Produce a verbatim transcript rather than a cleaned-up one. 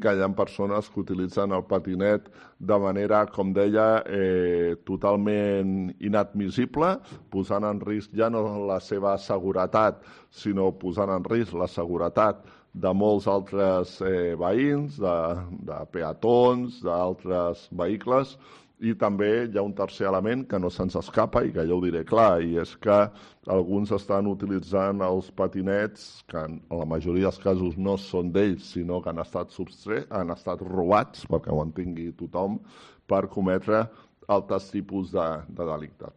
que hi ha persones que utilitzen el patinet de manera, com deia, eh, totalment inadmissible, posant en risc ja no la seva seguretat, sinó posant en risc la seguretat de molts altres eh, veïns, de, de peatons, d'altres vehicles, i també hi ha un tercer element que no se'ns escapa i que jo ho diré clar, i és que alguns estan utilitzant els patinets, que en la majoria dels casos no són d'ells, sinó que han estat substrets, han estat robats, perquè ho entengui tothom, per cometre altres tipus de, de delictes.